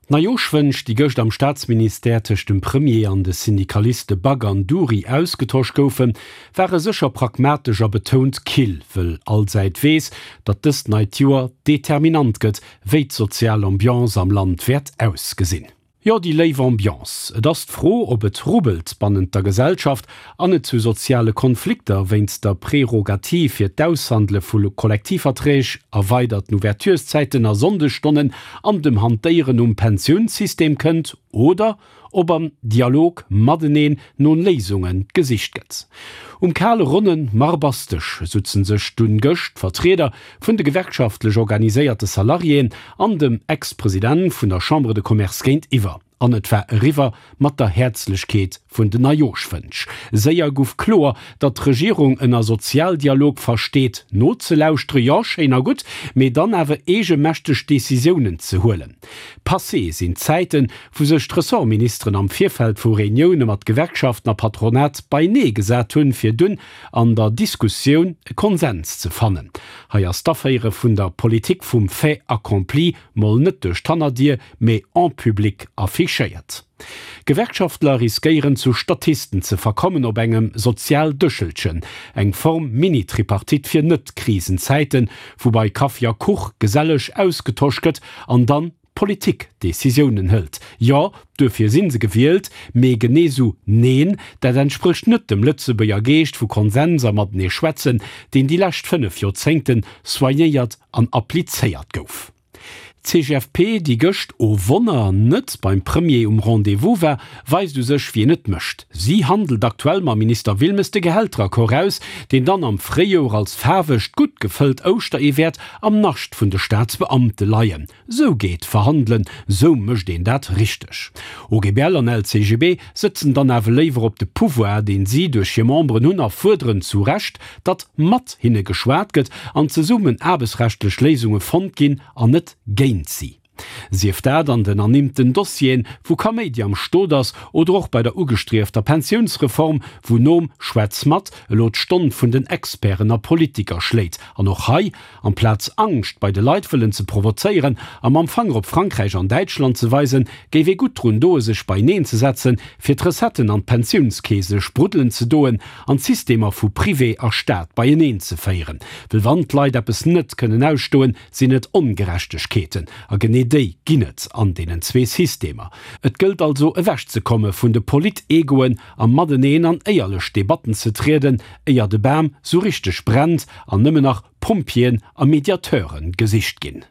D'Neijoschwënsch, déi gëscht am Staatsministère tëscht dem Premier an de Syndikaliste Back an Dury ausgetosch goufen, ware sécher pragmatesch a betount kill, wëll all Säit weess, datt dëst neit Joer determinant gëtt, wéi d'sozial Ambiance am Land wäert ausgesinn. Jo, déi léif Ambiance. Et ass d'Fro, ob et rubbelt bannent der Gesellschaft an et zu soziale Konflikter wéinst der Prerogativ fir d'Aushandele vu Kollektivverträg, erweiderten Ouvertureszäiten a Sonndesstonnen an dem Hantéieren um Pensiounssystem kënnt oder ob am Dialog mateneen no Léisunge gesicht gëtt. Um kale ronne Marbasdësch sutzen sech dunn gëscht d'Vertrieder vun de gewerkschaftlech organiséierte Salariéen an dem Ex-President vun der Chambre de Commerce géintiwwer. An et war eriwwer mat der Häerzlechkeet vun den Neijooschwënsch. Séier guff kloer, datt d'Regierung ënner Sozialdialog versteet, nozelauschteren, jo, schéin a gutt, mee dann awer eegemächteg Decisiounen ze huelen. Passé sinn d'Zäiten, wou sech d'Ressortministeren am Virfeld vu Reunioune mat Gewerkschaften a Patronat beienee gesat hunn, fir dunn an der Diskussioun e Konsens ze fannen. Hei ass d'Aféiere vun der Politik vum Fait accompli mol net duerch d'Hannerdier, mee en public affichéiert. Gewerkschaftler riskéieren zu Statisten ze verkommen op engem Sozialdëschelchen, eng Form Mini-Tripartite fir Net-Krisenzäiten, wou bei Kaffi a Kuch geselleg ausgetosch gëtt an dann d'Politik Decisiounen hëlt. Jo, duerfir si se gewielt, mee genee sou neen, dat entsprécht net dem Lëtzebuerger Geescht vu Konsens a matenee schwätzen, deen déi lescht 5 Joerzéngten soignéiert an applizéiert gouf. D'CGFP, déi gëscht, oh Wonner, net beim Premier um Rendez-vous war, weist u sech, wien et mécht. Si handelt aktuell mam Minister Wilmes de Gehälteraccord aus, deen dann am Fréijoer als faarwegt, gutt gefëllt Ouschteree wäert am Nascht vun de Staatsbeamte leien. Sou geet verhandelen, sou mécht een dat richteg. OGBL an LCGB sëtzen dann awer léiwer op de Pouvoir, deen si duerch hir Memberen hunn a fuerderen zu Recht, datt mat hinne geschwat gëtt an zesummen aarbechtsrechtlech Léisunge fonnt ginn an net géint si. Sief dat an den ernimmten Dossieren, wou Kaméidi am Stot ass, oder och bei der ugestriefter Pensiounsreform, wou nom Schwätz mat elo d'Stonn vun den Experten a Politiker schléit an och hei Amplaz Angscht bei de Leit wëllen ze provozéieren a mam Fanger op Frankräich an Däitschland ze weisen, géif ee gutt drun doe sech beieneen ze setzen, fir d'Recetten an d'Pensiounskeese spruddelen ze doen an d'Systemer vu Privé a Staat beieneen ze féieren. Well wann d'Leit eppes net kënnen ausstoen, sinn et Ongerechtegkeeten. A genee déi ginn et an deenen zwee Systemer. Et gëllt also ewechzekomme vun de Polit-Egoen a mateneen an éierlech Debatten ze trieden, éier de Bam sou richteg brennt an nëmmen nach Pompjeeën a Mediateure gesicht ginn.